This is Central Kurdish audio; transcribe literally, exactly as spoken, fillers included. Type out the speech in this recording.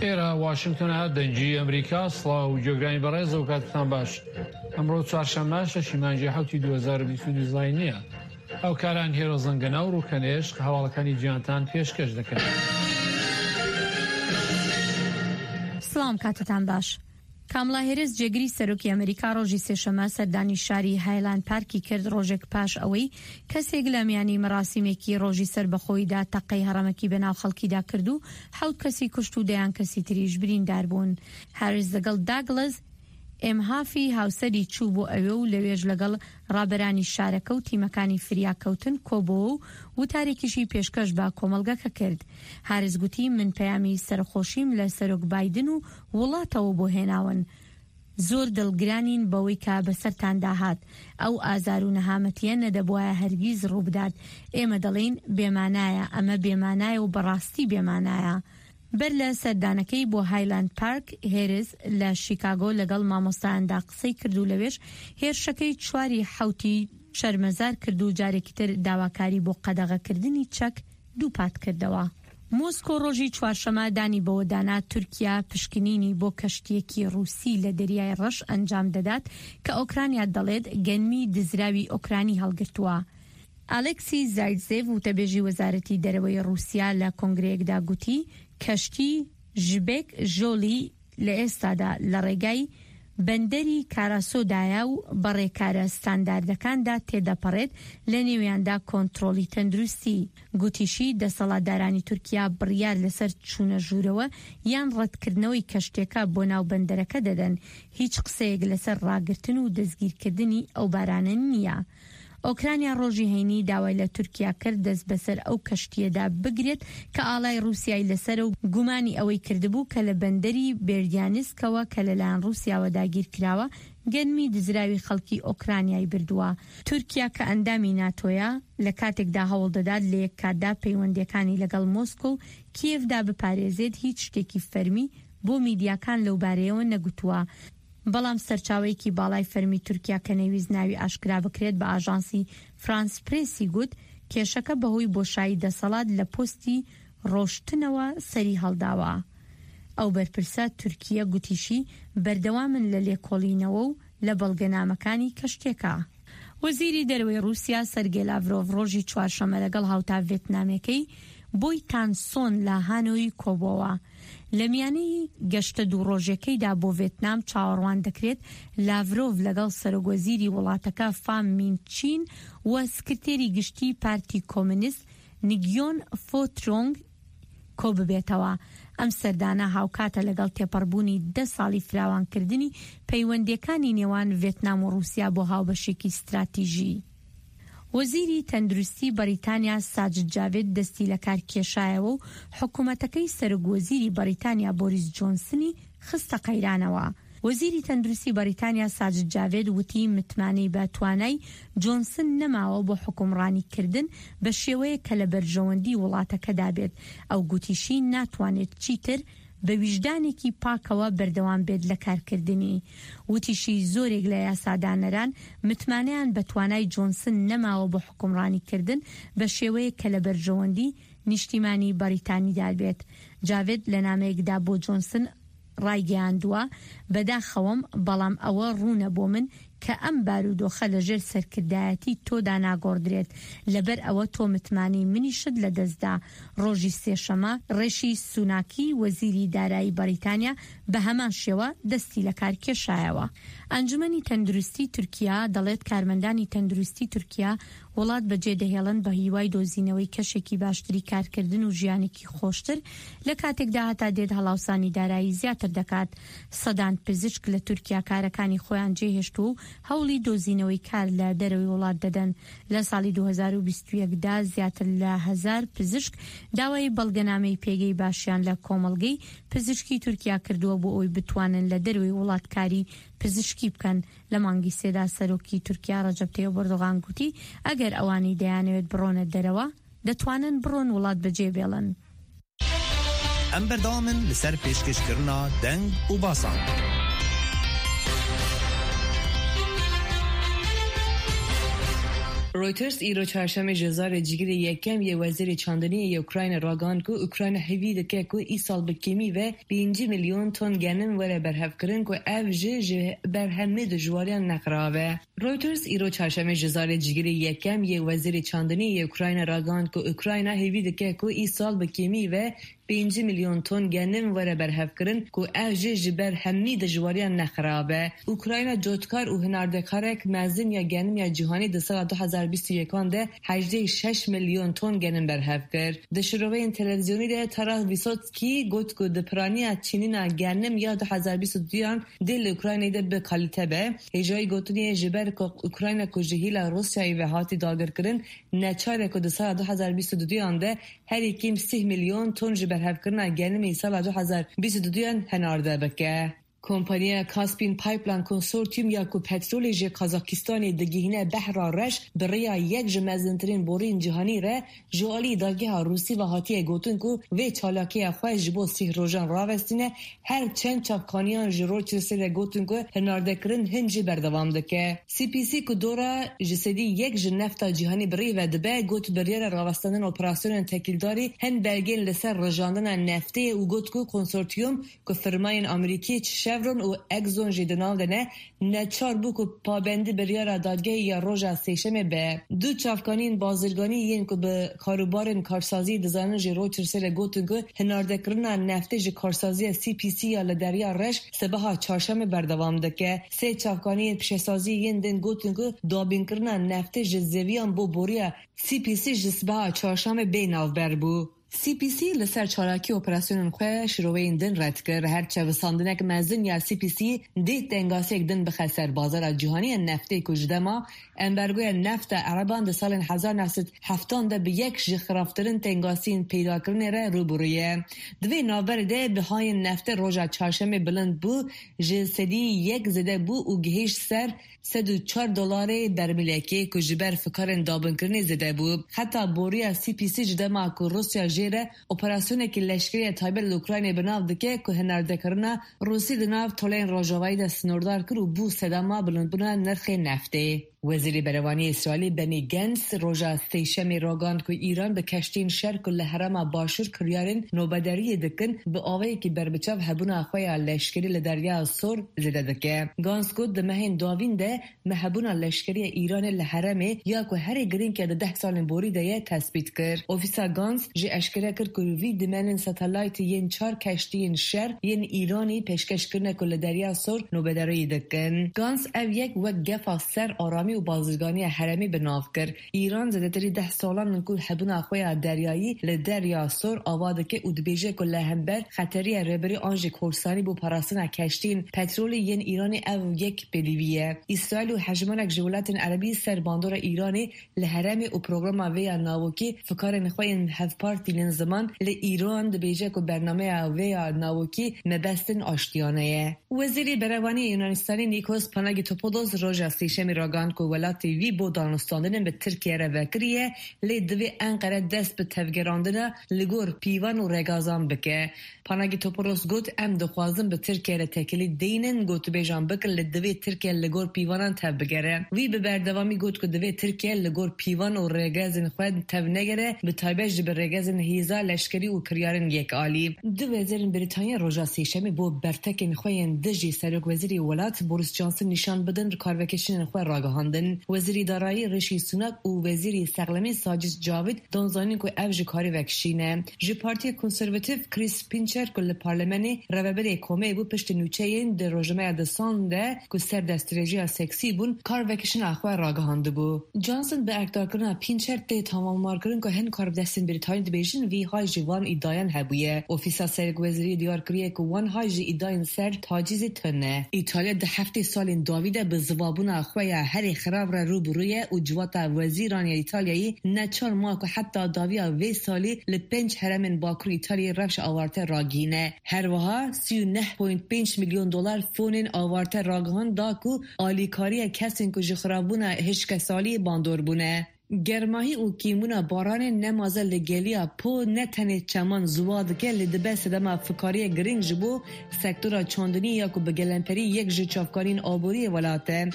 ئێرە واشنگتۆنە، دەنگی ئەمریکا. سڵاو و گوێگرانی بەڕێز و کاتتان باش. ئەمڕۆ چوارشەممە شەشی مانگی حەوتی دوو هەزار و بیست و دوو زایینییە. هاوکاران هێرۆ زەنگەنە و ڕوکەنێشق هەواڵەکانی جیهانتان پێشکەش دەکەن. سڵام، کاتتان باش. کامڵا هێرس جێگری سەرۆکی ئەمریکا ڕۆژی سێشەمە سەردانی شاری هایلاند پارکی کرد، ڕۆژێک پاش ئەوەی کەسێک لە میانی مەراسیمێکی ڕۆژی سەربەخۆییدا تەقەی هەڕەمەکی بەناو خەڵکیدا کرد و حەوت کەسی کوشت و دەیان کەسی تریش بریندار بوون. هاریس لەگەڵ داگڵس ئێمهافی هاوسەری چوو بۆ ئەوێ و لەوێش لەگەڵ ڕابەرانی شارەکە و تیمەکانی فریاکەوتن کۆبۆوە و وتارێکیشی پێشکەش بە کۆمەڵگەکە کرد. هاریس گوتی من پەیامی سەرخۆشیم لە سەرۆک بایدن و وڵاتەوە بۆ هێناون. زۆر دڵگرانین بەوەی کە بەسەرتاندا هات. ئەو ئازار و نەهامەتیە نەدەبوایە هەرگیز ڕووبدات. ئێمە دەڵێین بێمانایە، ئەمە بێمانایە و بەڕاستی بێمانایە. بەر لە سەردانەکەی بۆ هایلاند پارک، هێرس لە شیکاگۆ لەگەڵ مامۆستایاندا قسەی کرد و لەوێش هێرشەکەی چواری حەوتی شەرمەزار کرد و جارێکی تر داواکاری بۆ قەدەغەکردنی چەک دووپات کردەوە. مۆسکۆ ڕۆژی چوارشەمە دانی بەوەدانا تورکیا پشکنینی بۆ کەشتیەکی ڕووسی لە دەریای ڕەش ئەنجام دەدات کە ئۆکرانیا دەڵێت گەنمی دزراوی ئۆکرانی هەڵگرتووە. ئالێکسی زایتزێڤ وتەبێژی وەزارەتی دەرەوەی ڕووسیا لە کۆنگرەیەکدا گوتی کەشتی ژبێک ژۆلی لە ئێستادا لە ڕێگای بەندەری کاراسۆدایە و بە ڕێکارە ستانداردەکاندا تێدەپەڕێت، لە نێویاندا کۆنترۆڵی تەندروستی. گوتیشی دەسەڵاتدارانی تورکیا بڕیار لەسەر چوونە ژوورەوە یان ڕەتکردنەوەی کەشتێکە بۆ ناو بەندەرەکە دەدەن. هیچ قسەیەک لەسەر ڕاگرتن و دەستگیرکردنی ئەو بارانە نییە. ئۆکرانیا ڕۆژی هەینی داوای لە تورکیا کرد دەست بەسەر ئەو کەشتیەدا بگرێت کە ئاڵای ڕووسیای لەسەر و گومانی ئەوەی کردبوو کە لە بەندەری بێردیانسکەوە کە لەلایەن ڕووسیاوە داگیر کراوە گەنمی دزراوی خەڵکی ئۆکرانیای بردووە. تورکیا کە ئەندامی ناتۆیە لە کاتێکدا هەوڵ دەدات لە یەک کاتدا پەیوەندیەکانی لەگەڵ مۆسکۆ و کیێڤدا بپارێزێت، هیچ شتێکی فەرمی بۆ میدیاکان لەو بارەیەوە نەگوتووە. بەڵام سەرچاوەیەکی باڵای فەرمی تورکیا کە نەیویست ناوی ئاشکرا بکرێت بە ئاژانسی فرانس پرێسی گوت کێشەکە بەهۆی بۆشایی دەسەڵات لە پۆستی ڕۆشتنەوە سەری هەڵداوە. ئەو بەرپرسە تورکیە گوتیشی بەردەوامن لە لێکۆڵینەوە و لە بەڵگەنامەکانی کەشتێکە. وەزیری دەرەوەی ڕووسیا سەرگێ لاڤرۆڤ ڕۆژی چوارشەممە لەگەڵ هاوتا ڤێتنامەکەی بۆی تانسۆن لە هانۆی کۆبۆوە. لە میانەی گەشتە دوو ڕۆژەکەیدا بۆ ڤێتنام چاوەڕوان دەکرێت لاڤرۆڤ لەگەڵ سەرۆک وەزیری وڵاتەکە فام مین چین و سکرتێری گشتی پارتی کۆمۆنیست نگیۆن فۆترۆنگ کۆ ببێتەوە. ئەم سەردانە هاوکاتە لەگەڵ تێپەڕبوونی دە ساڵی فراوانکردنی پەیوەندیەکانی نێوان ڤێتنام و ڕووسیا بۆ هاوبەشێکی ستراتیژی. وەزیری تەندروستی بەریتانیا ساجد جاوید دەستی لە کار کێشایەوە و حکوومەتەکەی سەرۆک وەزیری بەریتانیا بۆریس جۆنسنی خستە قەیرانەوە. وەزیری تەندروستی بەریتانیا ساجد جاوید وتی متمانەی بە توانای جۆنسن نەماوە بۆ حکومڕانیکردن بە شێوەیە کە لە بەرژەوەندی وڵاتەکەدا بێت. ئەو گوتیشی ناتوانێت چیتر بە ویژدانێکی پاکەوە بەردەوام بێت لە کارکردنی. وتیشی زۆرێک لە یاسادانەران متمانەیان بە توانای جۆنسن نەماوە بۆ حکومڕانیکردن بە شێوەیە کە لە بەرژەوەندی نیشتیمانی بەریتانیدا بێت. جاوید لە نامەیەکدا بۆ جۆنسن ڕایگەیاندووە بەداخەوەم، بەڵام ئەوە ڕوونە بۆ من کە ئەم بارودۆخە لەژێر سەرکردایەتی تۆدا ناگۆڕدرێت، لەبەر ئەوە تۆ متمانەی منیشت لەدەستدا. ڕۆژی سێشەمە ڕێشی سوناکی وەزیری دارایی بەریتانیا بە هەمان شێوە دەستی لە کار کێشایەوە. ئەنجومەنی تەندروستی تورکیا دەڵێت کارمەندانی تەندروستی تورکیا وڵات بەجێ دەهێڵن بە هیوای دۆزینەوەی کەشێکی باشتری کارکردن و ژیانێکی خۆشتر، لە کاتێکدا هەتا دێت هەڵاوسانی دارایی زیاتر دەکات. سەدان پزیشک لە تورکیا کارەکانی خۆیان جێهێشتووە و هەوڵی دۆزینەوەی کار لە دەرەوەی وڵات دەدەن. لە ساڵی دوو هەزار و بیست و یەک دا زیاتر لە هەزار پزیشک داوای بەڵگەنامەی پێگەی باشیان لە کۆمەڵگەی پزیشکی تورکیا کردووە بۆ ئەوەی بتوانن لە دەرەوەی وڵات کاری پزیشکی بکەن. لە مانگی سێدا سەرۆکی تورکیا ڕەجەب تەیب ئەردۆغان گوتی ئەگەر ئەوانەی دەیانەوێت بڕۆنە دەرەوە دەتوانن بڕۆن وڵات بەجێ بێڵن. ئەم بەردەوامن لەسەر پێشکەشکردنا دەنگ و باسان. Reuters îro çarşemê ji zarê cîgirê yekem yê wezîrê çandiniyê yê Ukrayna ragihand ku Ukrayna hêvî dike ku îsal bi kêmî ve pêncî milyon ton genim were berhevkirin ku ev jî ji berhemê dijwariyan nexirabe. Reuters îro çarşemê ji zarê cîgirê yekem yê wezîrê çandiniyê yê Ukrayna ragihand ku Ukrayna hêvî dike ku îsal bi kêmî ve pêncî milyon ton genim were berhevkirin ku ev jî ji ber hemî dijwariyan nexirabe. Ukrayna cotkar û hinardekarek mezin ya genim ya cîhanî di sala du hezar bîst û yekan de hejdeh şeş milyon ton genim berhev kir. Di şiroveyên televizyonî de Taras Vysotskî got ku di piraniya çînîna genim ya du hezar bîst û duyan dê li Ukraynayê de bi kalîte be. Hêjayî gotinê ji ber ku Ukrayna ku ji hêla Rûsyayê ve hatî dagirkirin neçar e ku di sala du hezar bîst û duyan de herî kêm sih milyon ton ji berhevkirina genimê sala du hezar bîst û duyan henarde bike. Kompaniya Caspian Pipeline Consortium ya ku petrolê ji Kazakistanê digihîne Behra Reş bi rêya yek ji mezintirîn borên cîhanî re ji alî dadgeha Rûsî ve hatiye gotin ku vê çalakiya xwe ji bo sih rojan ravestîne her çend çavkaniyan ji Reutersê re gotin ku hinardekirin hin jî berdewam dike. C P C ku dora ji sedî yek ji nefta cîhanî bi rê ve dibe got biryara ravestandina operasyonên tekildarî hin belgên li ser rijandina neftê û got ku konsortiyum ku firmayên Amerîkî Chevron û Exxon jî di nav de ne neçar bû ku pabendî biryara dadgehê ya roja sêşemê be. Du çavkaniyên bazirganî yên ku bi karûbarên karsaziyê dizanin ji Reutersê re gotin ku hinardekirina neftê ji karsaziya C P C ya li Derya Reş sibeha çarşemê berdewam dike. Sê çavkaniyên pişesaziyê yên din gotin ku dabînkirina neftê ji zeviyan bo boriya C P C ji sibeha çarşemê bê navber bû. C P C li ser çalakî operasyonên xwe şiroveyên din red kir. Her çevisandinek mezin ya C P C dê tengasiyek din bixe ser bazara cîhanî ya neftê ku ji dema embargoya nefta Ereban di salên hezar neh sed heftan de bi yek ji xirabtirin tengasiyên peydakirinê re rûbirû ye. Di vê navberê de bihayên neftê roja çarşemê bilind bû ji sedî yek zêde bû û gihîşt ser sed û çar dolarê bermîlekê ku ji ber fikarên dabinkirinê zêde bû. Heta boriya C P C ji dema ku Rûsya jê re operasyonekî leşkerî ya taybet li Ukraynayê bi nav dike ku hinardekirina Rûsî di nav toleyên rojavayî de sînordar kir û bû sedema bilindbûna nirxê neftê. Wezîrê Berevaniyê Îsraîlê Benny Gantz roja sêşemê ragihand ku Îran bi keştiyên şer ku li herêma başûr kiryarên nobederiyê dikin bi awayekî berbiçav hebûna xwe ya leşkerî li Derya Sor zêde dike. Gantz got di mehên dawîn de me hebûna leşkeriya Îranê li herêmê ya ku herî girîng ya di deh salên borî de ye tespît kir. Ofîsa Gantz jî eşkere kir ku vî dîmenên satelaytê yên çar keştiyên şer yên Îranî pêşkeş kirine ku li Derya Sor nobederiyê dikin. Gantz ev yek wek gefa ser aramî û bazirganiya herêmî bi nav kir. Îran zêdetirî deh salan ku hebûna xwe ya deryayî li Derya Sor ava dike û dibêje ku li hember xeteriya rêberî an jî korsanî bo parastina keştiyên petrolê yên Îranê ev yek pêdivî ye. İsraîl û hejmarek ji welatên Erebî ser bandora Îranê li herêmê û programa vê ya navokî fikarên xwe yên hevpar tînin ziman li Îran dibêje ku bernameya vê ya navokî mebestin aştiyane ye. Wezîrê Berevaniyê Yunanistanê Nikos Panagitopoulos roja sêşemê ragihand ku welatê wî bo danûstandinên bi Tirkiyeyê re vekiriye lê divê Enqere dest bi tevgerandina li gor pîvan û rêgazan bike. Panagitopoulos got em dixwazin bi Tirkiyeyê re têkilî deynin gotûbêjan bikin lê divê Tirkiye li gor pîvanan tev bigere. Wî bi berdewamî got ku divê Tirkiye li gor pîvan û rêgezên xwe tev negere bi taybet ji bi rêgezên hêza leşkerî û kiryarên yekalî. Du wezîrên Brîtanya roja sêşemê bo bertekên xwe yên dijî serokwezîrê welat Boris Johnson nîşan bidin karvekeşînên xwe ragihandin. Wezîrê Darayî Rishi Sunak û Wezîrê Sexlemê Sajid Javid dan zanîn ku ev ji karê vekişîne. Ji Partiya Konservatif Chris Pincher ku li parlamenê rêveberê komê bû piştî nûçeyên di rojnameya The Sun de ku ser destdirêjiya seksî bûn karvekişîna xwe ragihandibû. Johnson bi erkdarkirina Pincher tê tamammarkirin ku hin karbidestên Brîtanî dibêjin vî hay ji van îdiayan hebûye. Ofîsa Serokwezîriyê diyar kiriye ku wan hay ji îdiayên ser tacîzê tune. İtalya di heftê salên dawî de bi zivabûna xwe ya herî xirab re rûbirû ye û civata wezîran ya İtalyayê neçar ma ku heta dawiya vê salê li pênc herêmên Bakur İtalyayê rewşa awarte ragihîne. Her wiha sî û neh point pênc milyon dolar fonên awarte ragihand da ku alîkariya kesên ku ji xirabûna hişkesaliyê bandor bûne. Germahî û kêmbûna baranê nemaze li geliya Po ne tenê çeman ziwa dike lê dibe sedema fikariya girîng ji bo sektora çandinî ya ku bi gelemperî yek ji çavkaniyên aboriyê welat e.